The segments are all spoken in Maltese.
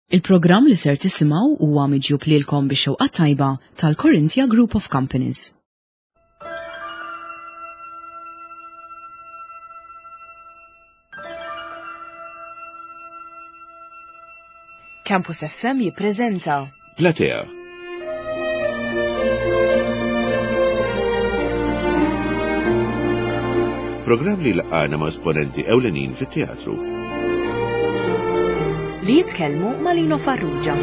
Il-programm li ser tisimgħu huwa miġjub lilkom bix-xewqa tajba tal-Corinthia Group of Companies. Campus FM jippreżenta Platea. Programm li laqgħana ma' esponenti ewlenin fit-teatru. Li jitkellmu ma' Lino Farrugia.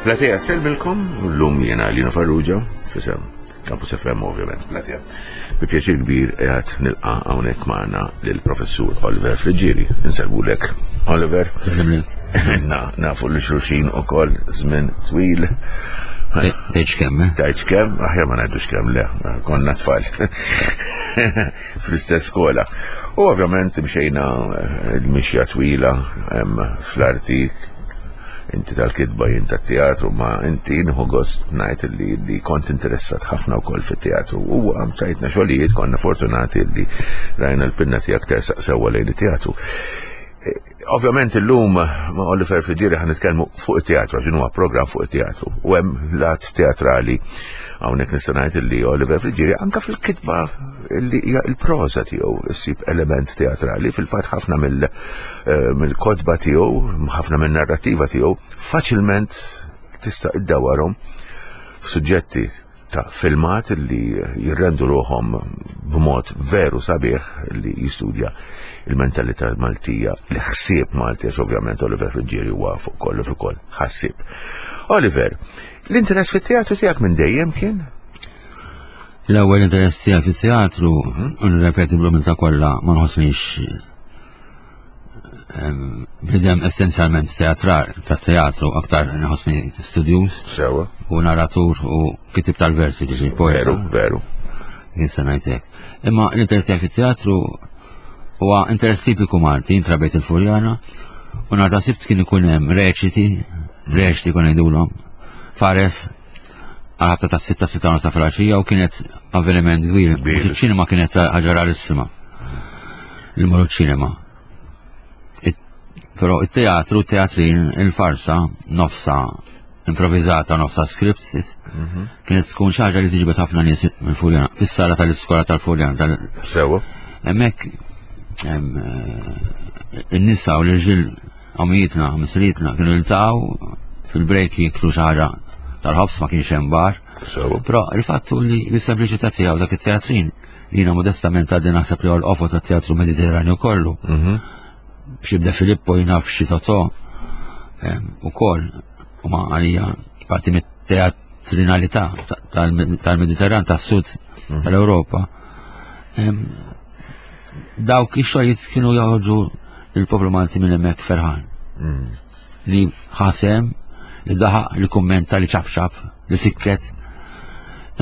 Platea selbilkom, l-lum jena Lino Farrugia, fisem Campus FM ovvjament, Platea. Bi pjaċir kbir qiegħed nilqa' hawnhekk magħna lill-Professur Oliver Friggieri. Insellmulek Oliver. Na, nafu li xulxin ukoll żmien twil. Tgħidx kemm, eh? Tgħidx kemm, aħjar ma ngħidux kemm le, konna tfal. Fl-istess skola. U ovvjament mxejna eh, l-mixja twila fl-arti inti tal-kitba jien tat-teatru ma inti nħu gost ngħid li, li kont interessat ħafna wkoll fit-teatru u għam tajtna xogħlijiet konna fortunati li rajna l-pinna tiegħek tersaq sewwa lejn it-teatru. Ovvjament illum ma' Oliver Friggieri ħan nitkellmu fuq it-teatru għax huwa programm fuq it-teatru u hemm lat teatrali hawnhekk nista' ngħid li Oliver Friggieri anke fil-kitba li hija l-proża tiegħu ssib element teatrali fil-fatt ħafna eh, mill-kotba tiegħu, ħafna min-narrattiva tiegħu faċilment tista' iddawarhom f'suġġetti ta' filmat li jirrendu ruħhom b'mod veru sabiħ li jistudja il-mentalità Maltija, l-ħsieb Malti, għax ovvjament Oliver Friggieri huwa fuq kollox ukoll ħassieb. Oliver, l-interess fit-teatru tiegħek minn dejjem kien? L-ewwel interess tiegħi fit-teatru, mhm. u nirrepeti bl-umiltà kollha, ma nħossnix Bidem essenzjalment teatral, ta' teatru, aktar nħossni studjus. Sewa. U narratur u kitib tal-versi, ġifi, poeta. Veru, veru. Jinsa ngħidlek. Imma l-interess tiegħek fit-teatru huwa interess tipiku Malti, intrabejt il-Furjana, u nhar ta' sibt kien ikun hemm reċiti, reċiti kon ngħidulhom, fares għal-ħabta ta' sitta sitta nofs ta' filgħaxija u kienet avveniment kbir. Iċ-ċinema kienet ħaġa rarissima. Li morru ċinema. Però it-teatru, teatrin, il-farsa, nofsa improvizata, nofsa script, mhm. kienet tkun xi ħaġa li tiġbed ħafna nies mill-Furjana, fis-sala tal-iskola tal-Furjana. Sewa. Hemmhekk eh, in-nisa u l-irġiel Omijietna, missirietna kienu jiltaqgħu fil-break jiklu xi ħaġa tal-ħobż ma kienx hemm bar. Però il-fatt hu li bis-sempliċità tiegħu dak it-teatrin li jiena modestament għaddi naħseb li huwa l-qofol tat-teatru Mediterranju kollu. Mhm. Xi De Filippo jien naf xi Totò ukoll huma għalija parti mit-teatrinalità tal-Mediterran tas-sud mhm. tal-Ewropa. Dawk ix-xogħlijiet kienu joħorġu il-poplu Malti minn hemmhekk ferħan. Mm. Li ħasem, li daħaq, li kummenta, li ċapċap, li sikket.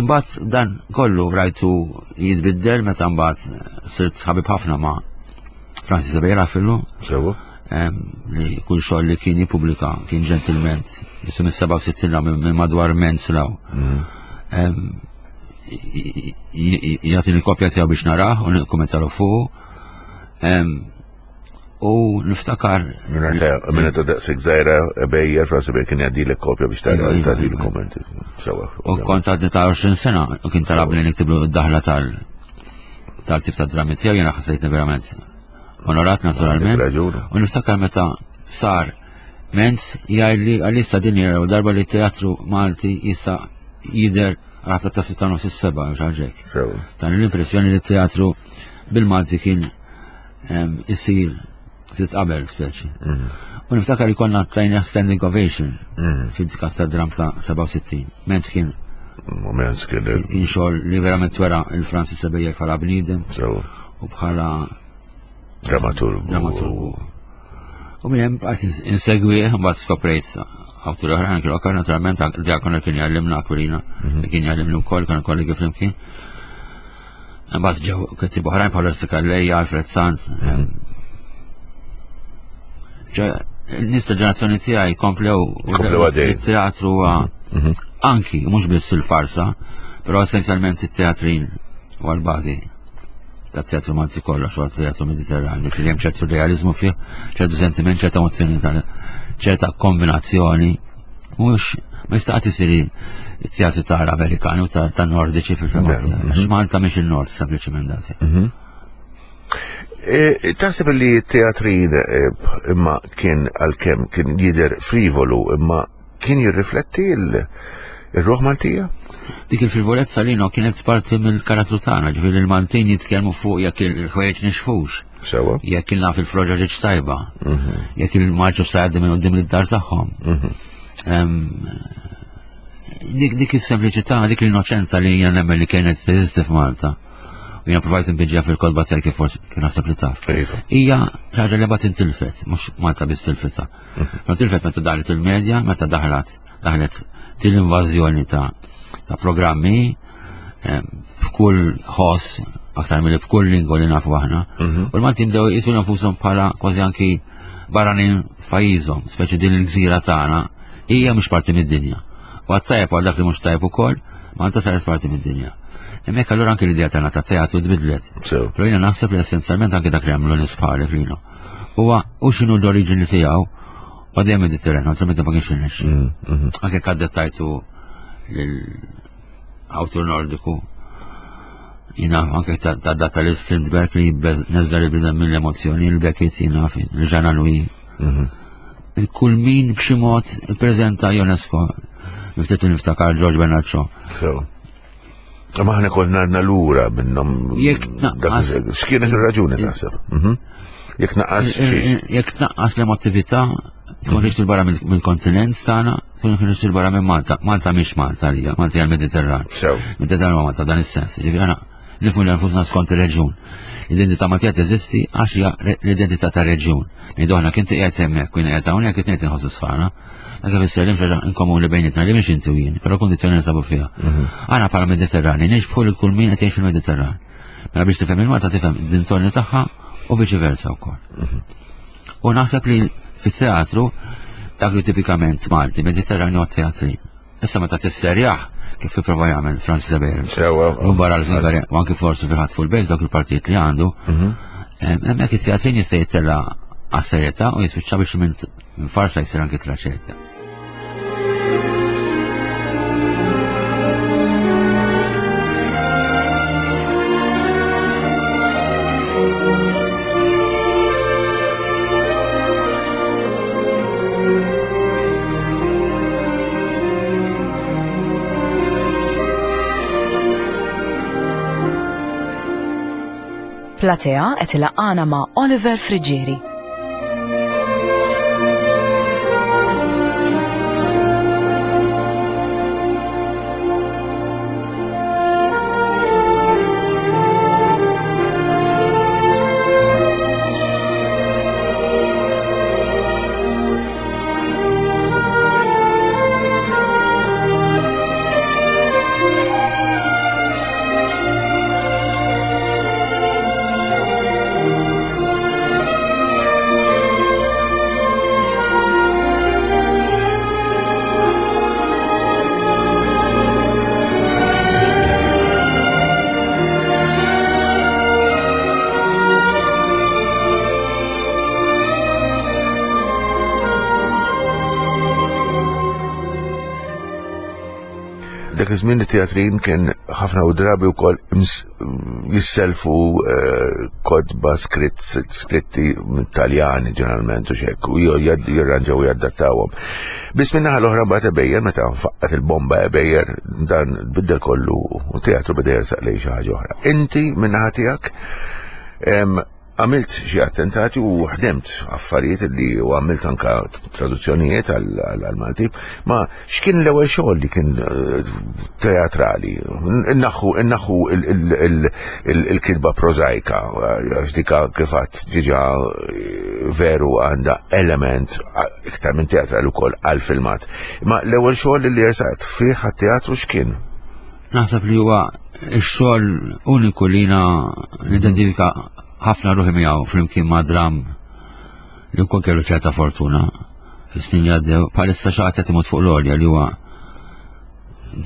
Imbagħad dan kollu rajtu jitbiddel meta mbagħad sirt ħabib ħafna ma' Francis Abejra fillu. Sewa. Li kull xogħol li kien jippubblika kien ġentilment, jisu mis-67 minn madwar mens law. Mm. Jagħtini kopja tiegħu biex narah u nikkummentalu fuq. U niftakar. Minna ta' daqsik zaħira bejjer, Fransi bejjer kien jgħaddi l-kopja biex ta' iva, iva, iva. l-kommenti. Sewa. U kont għadni ta' 20 sena u kien talabni niktiblu d-daħla tal tal-tip ta' drammi tiegħu jiena ħassejtni verament onorat naturalment. U niftakar meta sar Menz jgħidli għalissa din hija darba li teatru Malti jista' jidher għal ta' sitta nofs is-seba' xi Dan l-impressjoni li teatru bil-Malti kien isir ftit qabel speċi. Mhm. U niftakar li konna tajna standing ovation mhm. fil-kas ta' dram ta' 67. Ment kien Moment kien kien xogħol li verament wera il-Francis Sebejjer bħala bniedem u bħala dramaturgu. Dramaturgu. U minn hemm bqajt insegwi mbagħad skoprejt awtur oħrajn kienu okkar naturalment diakon kien jgħallimna Aquilina mhm. kien jgħallimni wkoll kienu kollegi flimkien. Imbagħad ġew kittieb oħrajn bħal Resti Calleja, Alfred Sant. Nis ta' ġenerazzjoni tiegħi komplew it-teatru mhm. anki mhux biss il-farsa, però essenzjalment it-teatrin u għal-bażi ta' teatru Malti kollha xogħol teatru Mediterranju, fil hemm ċertu realizmu fih, ċertu sentiment, ċerta emozzjoni ċerta kombinazzjoni Mhux ma jista' qatt isir it-teatru tal-Amerikani u tan-Nordiċi fil-fema tiegħi. Għax Malta mhix il-Nord sempliċement daqshekk. Mhm. E, taħseb li t-teatrin e, imma kien għalkemm kien jidher frivolu imma kien jirrifletti il-ruħ Maltija? Dik il-frivolezza li no kienet parti mill-karattru tagħna, ġifieri il-Maltin jitkellmu fuq jekk il-ħwejjeġ nixfux. Sewa. Jekk il-naf il-froġa ġietx tajba. Mhm. Jekk il-marċu sa jgħaddi minn qudiem id-dar tagħhom. Mhm. Dik is-sempliċità, dik l-innoċenza li jiena nemmen li kienet teżisti f'Malta. U jiena provajt nbiġġja fil-kodba tiegħi kif forsi kien naħseb li taf. Iva. Hija xi ħaġa li bagħad intilfet, mhux Malta biss tilfitha. Mhm. Ma tilfet meta daħlet il-medja, meta daħlet daħlet din l-invażjoni ta' ta' programmi f'kull ħoss aktar mill f'kull lingwa li nafu aħna. Mhm. U l-Maltin bdew jisu nfushom bħala kważi anki barranin f'pajjiżhom, speċi din il-gżira tagħna hija mhux parti mid-dinja. U għat-tajjeb għal dak li mhux tajjeb ukoll, Malta saret parti mid-dinja. Hemmhekk allura anki l-idea tagħna ta' teatru tbidlet. Però jiena naħseb li essenzjalment anki dak li għamlu nies bħalek lilhom. Huwa u x'inhu l-oriġini tiegħu u dejjem Mediterran, altrimenti ma kienx irnexxi. Mm, mhm. Anke kadettajtu lil awtur Nordiku. Jina anke ta' data li Strindberg li neżla li bidem mill-emozjoni, il-Beckett jina il-Jean Louis. Mhm. Il-kull min b'xi mod prezenta UNESCO. Niftet niftakar George Bernard Shaw. Ma ħna konna għandna lura minnhom. Jekk naqqas. X'kienet ir-raġuni taħseb? Mhm. Jekk naqqas Jekk naqqas l-emotività tkun ħriġt il-barra mill-kontinent tagħna, tkun ħriġt il-barra minn Malta. Malta mhix Malta lija, Malta hija l-Mediterran. Mediterran huwa Malta dan is-sens. Ġifieri aħna nifhmu li nfusna skont ir-reġjun. L-identità Maltija teżisti għax hija l-identità ta' reġjun. Ngħidu aħna kien qiegħed hemmhekk, kien qiegħed hawnhekk qed inħossu sħana. Dak ifisser li xaġa inkomuni bejnietna li mhix inti u jien, però kundizzjoni nsabu fiha. Mhm. Aħna bħala Mediterrani nixbħu lil kull min qed jgħix fil-Mediterran. Mela biex tifhem il-Malta tifhem dintorni tagħha u viċi versa wkoll. Mhm. U naħseb li fit-teatru dak li tipikament Malti, Mediterranju għat-teatri. Issa meta tisserjaħ kif ipprova jagħmel Francis Eber. Sewa. Barra l-Ungari, u anki forsi fil-ħadd fuq il-bejt dawk il-partijiet li għandu. Mhm. Hemmhekk it-teatrin jista' jittella' għas-serjetà u jispiċċa biex minn farsa jsir anki traċedja. Platea qed ilaqqana ma' Oliver Friggieri. Dak iż-żmien it-teatrin kien ħafna u drabi wkoll jisselfu eh, kodba skritti Taljani ġeneralment u xek u jirranġaw u jaddattawhom. Biss minn naħa l-oħra mbagħad ebejjer meta faqqat il-bomba ebejjer dan biddel kollu u teatru beda jersaq lejn xi ħaġa oħra. Inti minn naħa tiegħek Għamilt xi attentati u ħdemt affarijiet li u għamilt anka traduzzjonijiet għal-Malti, ma x'kien l-ewwel xogħol li kien eh, teatrali? Innaħħu innaħħu il-kitba prożajka, għax dika kif għadt diġà eh, veru għandha element iktar minn teatrali wkoll għal-filmat. Ma l-ewwel xogħol li jersaqt fih għat-teatru x'kien? Naħseb li huwa x-xogħol uniku li jiena nidentifika ħafna ruħi miegħu flimkien ma' dram li wkoll kellu ċerta fortuna fis-snin li għaddew, bħalissa xi ħadd qed imut fuq l-għolja li huwa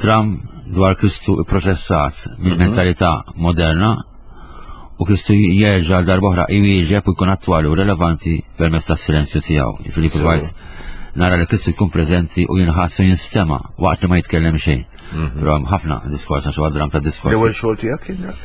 dram dwar Kristu ipproċessat mill-mentalità moderna u Kristu jerġa' għal darb'oħra jwieġeb u jkun attwali u relevanti permezz tas-silenzju tiegħu. Jiġifieri provajt nara li Kristu jkun preżenti u jinħass u jinstema' waqt li ma jitkellem xejn. Mhm. Però hemm ħafna diskors għax huwa dram ta' diskors. L-ewwel xogħol tiegħek kien dak?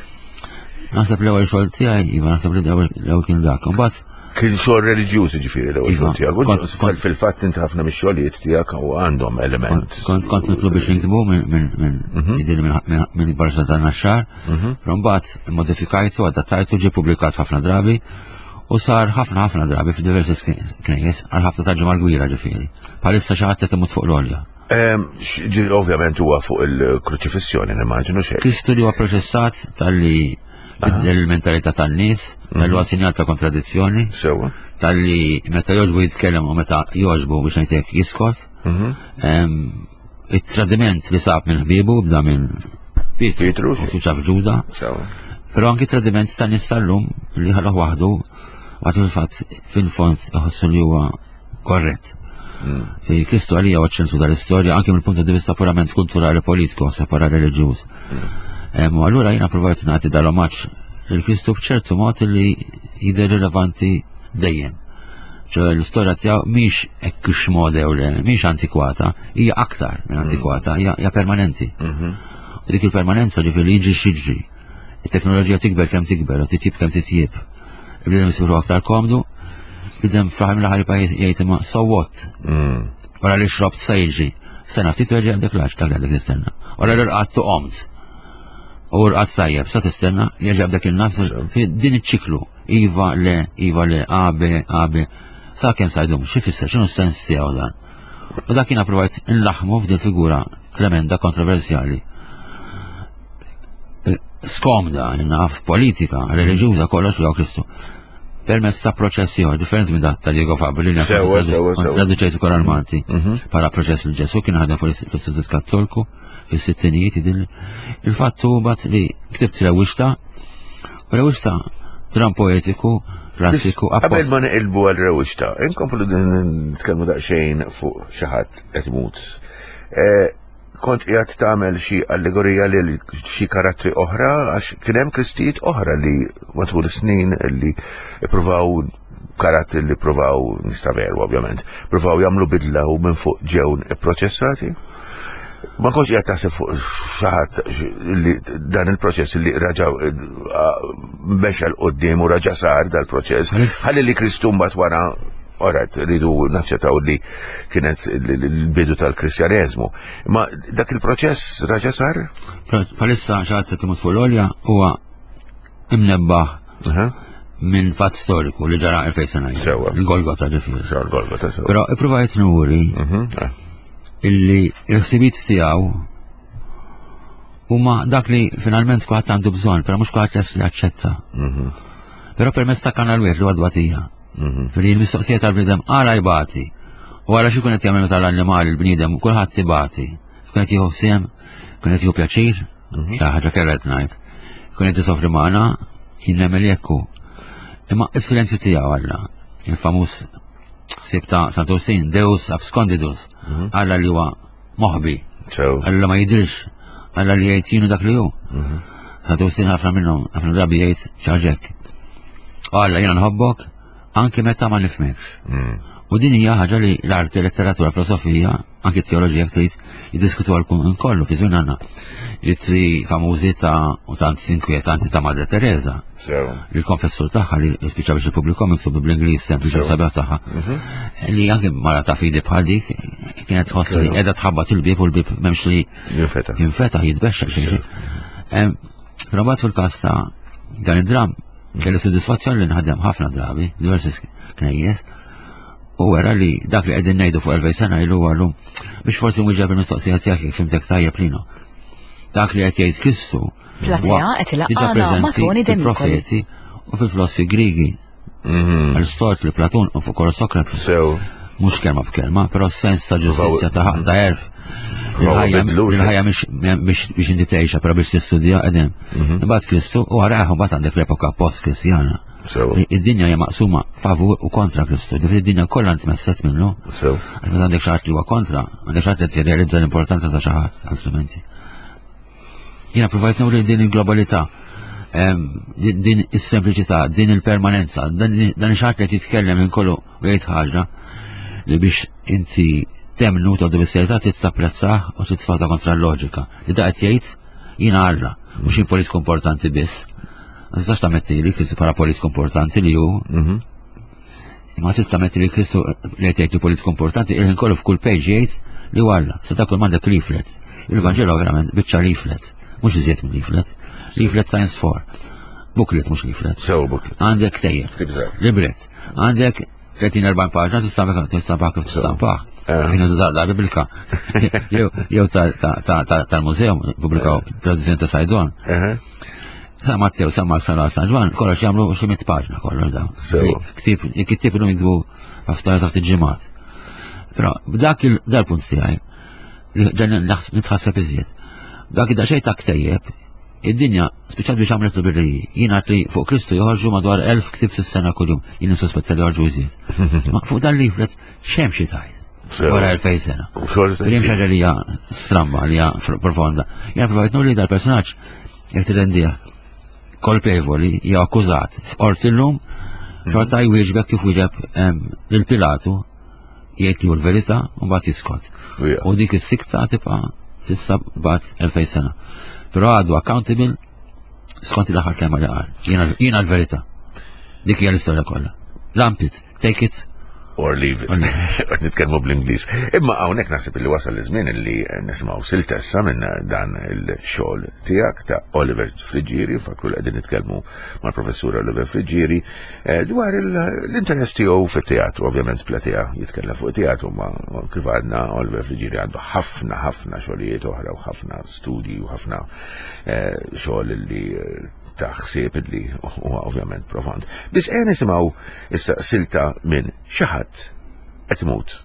Naħseb l-ewwel xogħol tiegħi, iva naħseb li l-ewwel kien dak. Imbagħad Kien xogħol reliġjuż ġifieri l-ewwel xogħol tiegħek. Fil-fatt inti ħafna mix-xogħlijiet tiegħek u għandhom element. Kont kont mitlub biex niktbu minn minn minn barxa dan naxxar. Mhm. Però mbagħad modifikajtu, adattajtu, ġie publikat ħafna drabi u sar ħafna ħafna drabi f'diversi knejjes għal ħafna ta' ġimgħa kbira ġifieri. Bħalissa xi ħadd qed imut fuq l-olja. Ovvjament huwa fuq il-kruċifissjoni, nimmaġinu xejn. Kristu li huwa proċessat tal-li biddel il-mentalità tan-nies, tal-li huwa sinjal ta' kontradizzjoni. Sewa. Tal-li meta jogħġbu jitkellem u meta jogħġbu biex ngħidlek jiskot. Mhm. It-tradiment li sab minn ħbiebu bda minn Pietru u fiċa f'Ġuda. Sewa. Però anki tradiment tan nies tal-lum li ħalluh waħdu għad fil-fatt fil-fond iħossu li huwa korrett. Mm. Kristu għalija huwa ċensu tal-istorja anke mill-punt di vista purament kulturali politiku, separa reliġjuż. Mm. U allura jiena provajt nagħti dal-omaġġ il-Kristu b'ċertu mod li jidher rilevanti dejjem. ċe l-istorja tiegħu mhix hekk xmode u le, mhix antikwata, hija aktar minn mm. antikwata, hija permanenti. Mm-hmm. Dik il-permanenza ġifieri jiġri xiġri. It-teknoloġija tikber kemm tikber u titjib kemm titjib. Il-bniedem isiru aktar komdu, bniedem fl-aħħar mill-aħħar jibqa' jgħid imma so what? Mm. Wara li xrobt sa jiġri. Sena ftit terġa' għandek laġ dak li għandek tistenna. Wara li rqadt u qomt. U rqadt tajjeb, sa tistenna jerġa' b'dak il-nas fi din iċ-ċiklu. Iva le, iva le, A, B, A, B. Sa kemm sa jdum, xi fisser, x'inhu s-sens tiegħu dan? U dak jiena provajt inlaħmu f'din figura tremenda kontroversjali skomda, naf politika, reliġjuża kollox li Kristu. Permezz ta' proċess ieħor differenti minn dak ta' Diego Fabri li traduċejt ukoll għal-Malti. Mhm. Bħala proċess li Ġesu kien ħadem fuq l-Istitut Kattolku fis-sittinijiet din il-fatt hu bat li ktibt rewwixta u rewwixta dram poetiku klassiku Qabel ma neqilbu għal rewwixta, inkomplu nitkellmu daqsxejn fuq xi ħadd qed imut. Eh, kont qiegħed tagħmel xi allegorija lil xi karattri oħra għax kien hemm kristijiet oħra li matul is-snin li ippruvaw karattri li pruvaw nista' veru ovvjament, pruvaw jagħmlu bidla u minn fuq ġew ipproċessati. Ma kontx qiegħed taħseb fuq xi ħadd li dan il-proċess li raġa mexa l qudiem u raġa sar dal-proċess. Ħalli li Kristu mbagħad wara Alright, rridu naċċettaw li kienet l-bidu tal-Kristjaneżmu. Ma dak il-proċess raġa sar? Palissa xaħat qed imut fuq l-olja huwa imnebbaħ minn fatt storiku li ġara 2000 sena. Sewa. Il-Golgota ġifieri. Sewa, il-Golgota sewa. Però ippruvajt nuri mhm, eh. illi il-ħsibijiet tiegħu huma dak li finalment kulħadd għandu bżonn, però mhux kulħadd lest li jaċċetta. Mhm. Però permezz ta' kanal wieħed li huwa dbatija. Mhm. Fili l-mistoqsija tal-bniedem għala jbati. U għala xi qed jagħmel meta l-annimali l-bniedem kulħadd ibati. Kun qed jieħu siem, kun qed jieħu pjaċir, mhm. xi ħaġa kellha qed ngħid. Kun qed isofri magħna, jinnemel jekku. Imma is-silenzju tiegħu Alla, il-famuż ħsieb ta' Sant'Ursin, Deus abscondidus, mhm. Alla li huwa moħbi. Alla ma jidhirx, Alla li jgħid jienu dak li hu. Mhm. Sant'Ursin ħafna minnhom, ħafna drabi jgħid ċaġek. Alla jiena nħobbok anke meta ma nifhmekx. Mm. U din hija ħaġa li l-arti, letteratura, filosofija, anke t-teoloġija trid jiddiskutu għal kollu fi żmien għandna. Ittri famużi ta' u tant inkwetanti ta' Madre Teresa. Il-konfessur tagħha li spiċċa biex ippubblikhom miktub bl-Ingliż sempliċi sabiħ tagħha. Mhm. Li anke mara ta' fidi bħal dik kienet tħoss li qiegħda tħabbat il-bieb u l-bieb m'hemmx li jinfetaħ. Jinfetaħ jitbexxa xi. Però mbagħad fil-każ ta' dan id-dram kelli soddisfazzjon li nħadem ħafna drabi, diversi knejjes, u wera li dak li qegħdin ngħidu fuq 2000 sena ilu għallu biex forsi nwieġeb il-mistoqsija tiegħek jekk fimtek tajjeb lino. Dak li qed jgħid Kristu Platea qed ilaqqana ma' Tony De Micoli. Profeti u fil-filosfi Grigi. Mhm. Aristotle, Platun u fuq Sokrates. Sew. Mhux kelma b'kelma, però sens ta' ġustizzja ta' ħaq ta' erf. Il-ħajja mhix biex inti tgħixha, però biex tistudja qegħdin. Mhm. Imbagħad Kristu u wara mbagħad għandek l-epoka post-Kristjana. Id-dinja hija maqsuma favur u kontra Kristu. Ġifieri id-dinja kollha ntmesset minnu. Għax meta għandek xi ħadd li huwa kontra, għandek xi ħadd li jirrealizza l-importanza ta' xi ħadd, altrimenti. Jiena provajt nuri din il-globalità, din is-sempliċità, din il-permanenza, dan xi ħadd li jitkellem minn kollu u jgħid ħaġa li biex inti temnu ta' bis-serjetà trid tapprezzah u trid tfadha kontra l-loġika. Li da qed jgħid jiena Alla, mhux jien politiku importanti biss. Ma tistax tammetti li Kristu bħala politiku importanti li hu. Mhm. Ma tista' tammetti li Kristu li qed jgħid li politiku importanti, il-ħin kollu f'kull page jgħid li hu Alla. Se dak kull m'għandek leaflet. Il-Vanġelu verament biċċa leaflet, mhux iżjed minn leaflet. Leaflet times four. Booklet mhux leaflet. Sew booklet. Għandek tejjeb. Libret. Għandek 30-40 paġna tista' tistampah kif tistampah. Eh. Kienu da biblika. Jew tal-mużeum pubblikaw eh. tradizzjoni ta' Sajdon. Eh. Sa Mattew, sa Mark, sa San Ġwan, kollox jagħmlu xi mit paġna kollox dawn. Ktib, kittib illum jiktbu aftar taħt il-ġimgħat. Però dak il-punt tiegħi li ġan nitħasseb iżjed. Dak id-daqsxejn ta' ktejjeb Id-dinja spiċċat biex għamlet libreriji. Jien għad li fuq Kristu joħorġu madwar 1000 ktib fis-sena kuljum. Jien nissuspetta li joħorġu iżjed. Ma fuq dan leaflet x'hemm xi tajt. Wara 2000 sena. Li hemm xi li hija stramba, li hija profonda. Jien provajt nuri dal-personaġġ jekk tirrendih kolpevoli jew akkużat f'qorti llum, xorta jwieġbek kif wieġeb lil Pilatu jgħid li hu l-verità u mbagħad jiskot. U dik is-sikta tibqa' s'issa bad 2000 sena. Però għadu accountable skont l-aħħar kelma li qal. Jiena l-verità. Dik hija l-istorja kollha. Lampit, take it or leave it. Nitkellmu bl-Ingliż. Imma hawnhekk naħseb li wasal iż-żmien li nisimgħu siltessa minn dan il-xogħol tiegħek ta' Oliver Friggieri, fakru li qegħdin nitkellmu mal-professur Oliver Friggieri eh, dwar l-interess tiegħu fit-teatru, ovvjament platea jitkellem fuq teatru, ma kif għadna Oliver Friggieri għandu ħafna ħafna xogħlijiet oħra u ħafna studji u ħafna eh, xogħol li eh, ta' ħsieb li huwa ovvjament profond. Biss ejja nisimgħu issa silta minn xi ħadd qed imut.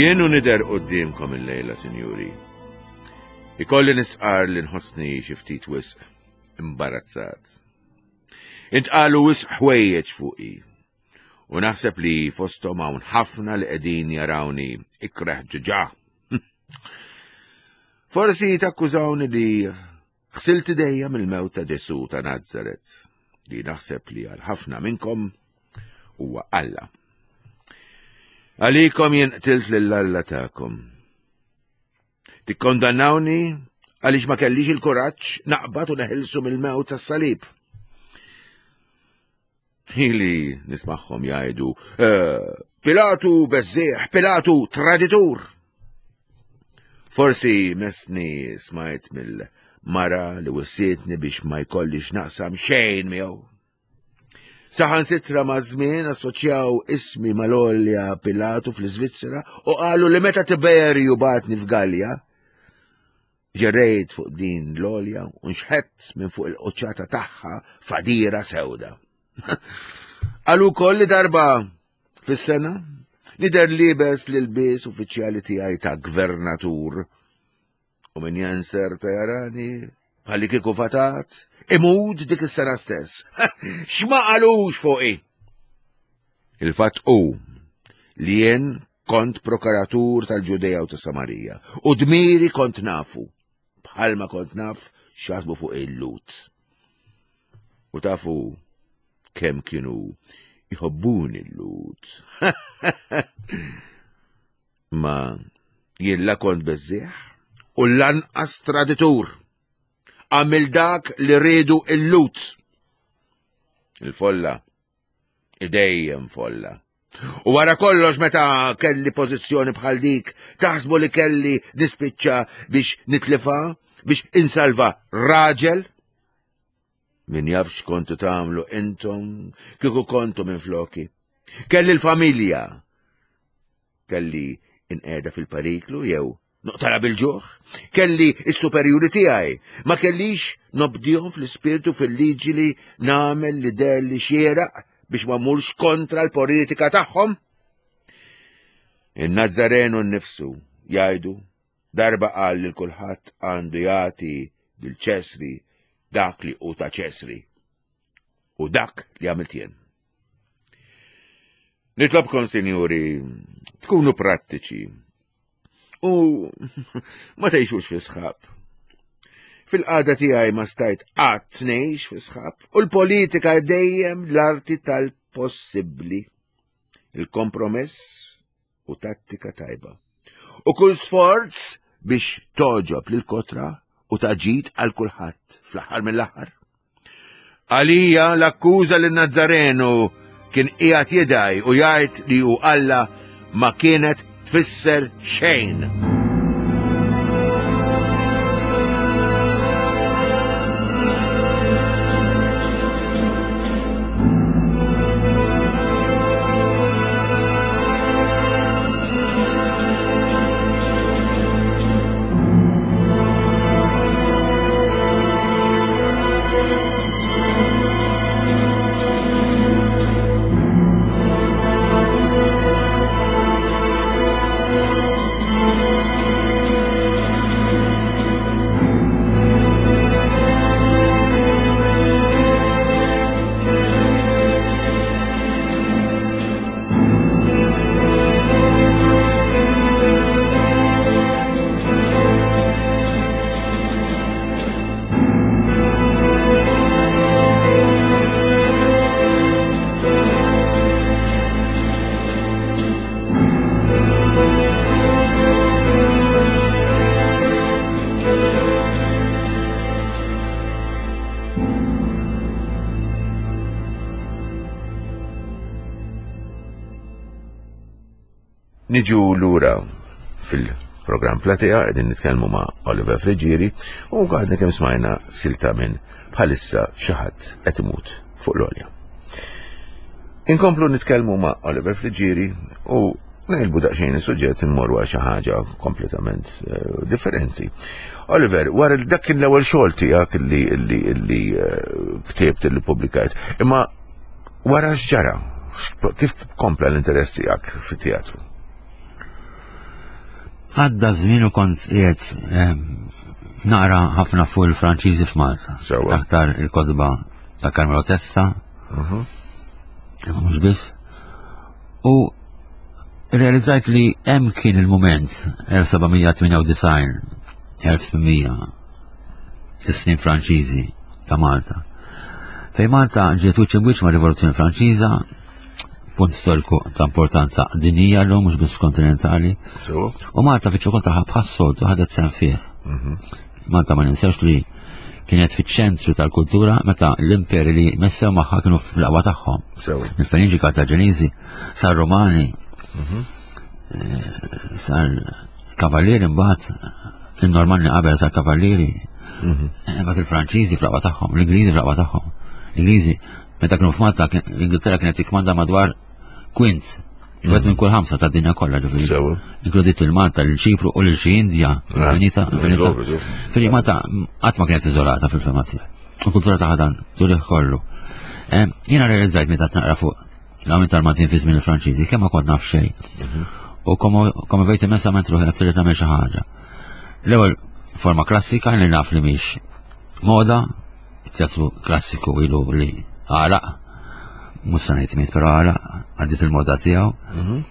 Jien u nidher quddiemkom illejla, sinjuri. Ikolli nistqar li nħossni xi ftit wisq imbarazzat. Intqalu wisq ħwejjeġ fuqi. U naħseb li fosthom hawn ħafna li qegħdin jarawni ikreh ġiġa. Forsi takkużawni li ħsilt idejja mill-mewt ta' Ġesù ta' Nazaret, li naħseb li għal ħafna minnkom huwa Alla. Għalikom jien qtilt lil Alla tagħkom. Tikkondannawni għaliex ma kellix il-kuraġġ naqbad u neħilsu mill-mewt tas-salib. Ili nismagħhom jgħidu, eh, Pilatu beżżieħ, Pilatu traditur. Forsi mesni smajt mill-mara li wissietni biex ma jkollix naqsam xejn miegħu. Saħan sitra ma' żmien assoċjaw ismi mal-olja Pilatu fl-Iżvizzera u qalu li meta Tiberju batni f'Galja, Ġerejt fuq din l-olja u nxħett minn fuq il-quċċata tagħha fadira sewda. Qalu wkoll li darba fis-sena nidher libes l-ilbies uffiċjali tiegħi ta' gvernatur u min jenser ta' jarani bħalli kieku fatat imud dik is-sena stess. X'ma qalux fuqi? Il-fatt hu li jien Kont prokuratur tal-Ġudea u ta' Samarija, u dmiri kont nafu, bħalma kont naf x'jaħsbu fuq il-Lhud. U tafu kemm kienu jħobbuni l-Lhud. Ma jien la kont beżżieħ u lanqas traditur. Għamil dak li riedu il-Lhud. Il-folla, dejjem folla. U wara kollox meta kelli pożizzjoni bħal dik, taħsbu li kelli nispiċċa biex nitlifa, biex insalva raġel? Min jaf x'kontu tagħmlu intom kieku kontu minn floki. Kelli l-familja. Kelli inqeda fil-periklu jew noqtala bil-ġuħ. Kelli s-superjuri tiegħi. Ma kellix nobdihom fl-ispirtu fil-liġi li nagħmel li der li xieraq biex ma mmurx kontra l-politika tagħhom. In-Nazzarenu nnifsu jgħidu Darba qal lil kulħadd għandu jagħti lil Ċesri dak li hu ta' Ċesri u dak li għamilt jien. Nitlobkom, sinjuri, tkunu prattiċi u ma tgħixux fi sħab. Fil-qagħda tiegħi ma stajt qatt ngħix fi sħab u l-politika dejjem l-arti tal-possibbli. Il-kompromess u tattika tajba. U kull sforz biex toġob lil kotra u taġid għal kulħadd fl-aħħar mill-aħħar. Għalija l-akkuża li Nazzarenu kien qiegħed jidaj u jgħid li hu Alla ma kienet tfisser xejn. Niġu lura fil-programm Platea qegħdin nitkellmu ma' Oliver Friggieri u għadna kemm smajna silta minn bħalissa xi ħadd qed imut fuq l-olja. Inkomplu nitkellmu ma' Oliver Friggieri u Nejlbu daqsxejn is-suġġett immorru għal xi ħaġa kompletament eh, differenti. Oliver, wara li dak kien l-ewwel xogħol tiegħek li li li eh, ktibt li pubblikajt, imma wara x'ġara? Kif kompla l-interess tiegħek fit-teatru? Għadda żmien u kont qiegħed eh, naqra ħafna fuq il-Franċiżi f'Malta. Aktar il-kotba ta' Carmelo Testa. Mhm. Imma mhux biss. U realizzajt li hemm kien il-mument 1798 1800 is-snin Franċiżi ta' Malta. Fej Malta ġiet wiċċ imwiċċ ma' Rivoluzzjoni Franċiża, punt storiku ta' importanza dinjija l mhux biss kontinentali. U Malta fiċ-ċokon tagħha bħas-soltu ħadet sehem fih. Mhm. Malta ma ninsewx li kienet fiċ-ċentru tal-kultura meta l-imperi li messew magħha kienu fl-aqwa tagħhom. Il-Feniġi Kartaġeniżi, sar Romani, mhm. eh, sar Kavallieri mbagħad, in-Normanni qabel sar Kavallieri, mhm. eh, mbagħad il-Franċiżi fl-aqwa tagħhom, l-Ingliżi fl-aqwa tagħhom. L-Ingliżi meta kienu f'Malta l-Ingilterra kienet tikmanda madwar kwint Wieħed minn kull ħamsa ta' dinja kollha ġifieri. Inkludit il-Malta, l-Ċipru u l-xi Indja, ah, infinita, infinita. Fili Malta qatt ma kienet iżolata fil-fema tiegħi. U kultura ta' dan turih kollu. Eh, jiena realizzajt meta naqra fuq l-għamil tal-Maltin fi żmien il-Franċiżi, kemm ma kont naf xejn. Mhm. U komu vejt immensament ruħi qed trid nagħmel xi ħaġa. L-ewwel forma klassika li naf li mhix moda, It-teatru klassiku ilu li għalaq, mhux se ngħid miet però għalaq, għaddiet il-moda tiegħu. Mhm.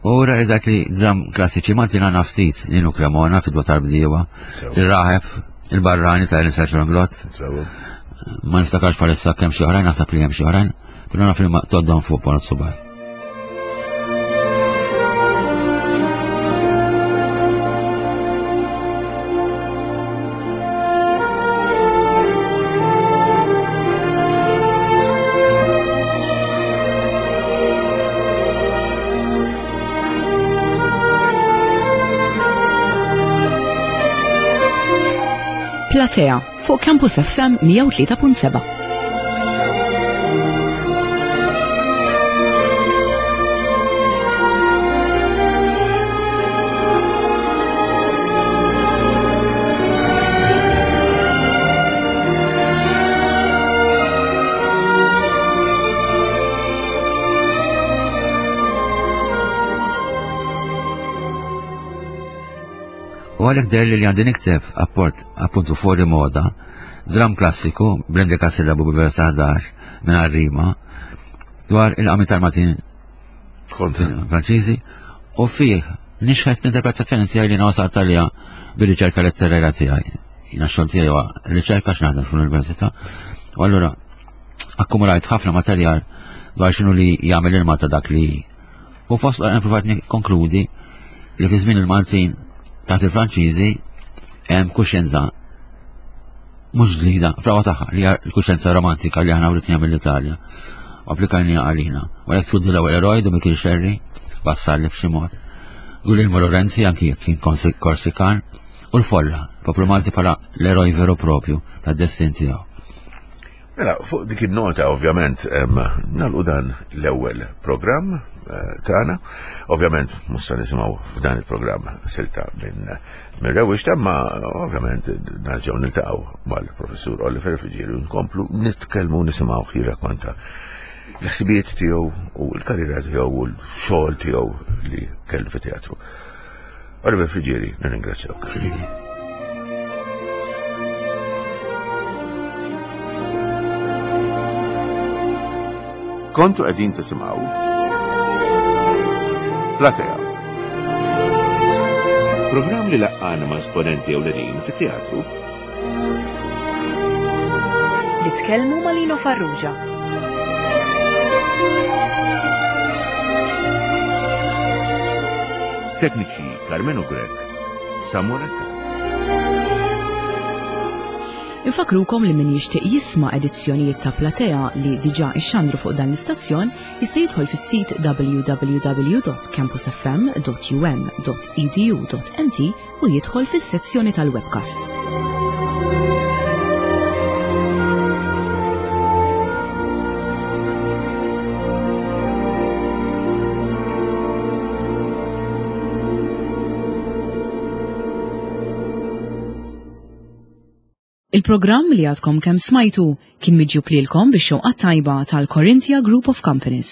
U realizzat li dram klassiċi Maltin għandna ftit, Ninu Cremona, Fidwa tal-Bdiewa, ir-Raħeb, Il-Barrani ta' Ernest Glott. Ma niftakarx palissa kemm xi oħrajn, naħseb li hemm xi oħrajn, però naf li ma toddhom fuq ponot subaj. Platea fuq Campus FM 103.7. U għalhekk deher li għandi nikteb apport appuntu fuori moda, dram klassiku bl-indika sillabu b'vers 11 minn rima dwar il-qami tal-Maltin Franċiżi u fih nixħet l-interpretazzjoni tiegħi li wasalt għaliha bir-riċerka letterarja tiegħi. Jiena x-xogħol tiegħi huwa riċerka x'naħdem fl-università. U allura akkumulajt ħafna materjal dwar x'inhu li jagħmel il-Malta dak li U fost l provajt nikkonkludi li fi żmien il-Maltin taħt il-Franċiżi hemm kuxjenza mhux ġdida, frawa tagħha li hija l-kuxjenza romantika li aħna writniha mill-Italja. U applikajniha għalina. U għalhekk tfuddi l-ewwel eroj du Mikil Sherry, wassalli f'xi mod. Guglielmo Lorenzi anki jekk kien Korsikan u l-folla, poplu Malti bħala l-eroj veru propju tad-destin tiegħu. Mela, fuq dik il-nota ovvjament nagħlqu dan l-ewwel programm eh, tagħna. Ovvjament mhux se nisimgħu f'dan il-programm silta minn minn rewwix imma ovvjament nerġgħu niltaqgħu mal-professur Oliver Fiġieri nkomplu nitkellmu nisimgħu jirrakkonta l-ħsibijiet tiegħu u l-karriera tiegħu u l-xogħol tiegħu li kellu fit-teatru. Oliver Frigieri, nirringrazzjawk. Kontu qegħdin tisimgħu Platea. Programm li laqqana ma' esponenti ewlenin fit-teatru. Li tkellmu ma' Lino Farrugia. Tekniċi Carmenu Grech, Samuel Attard. Infakrukom li min jixtieq jisma' edizzjonijiet ta' Platea li diġà ixxandru fuq dan l-istazzjon jista' jidħol fis-sit www.campusfm.um.edu.mt u jidħol fis-sezzjoni tal-webcasts. Il-programm li għadkom kemm smajtu kien miġjub lilkom bix-xewqa tajba tal-Corinthia Group of Companies.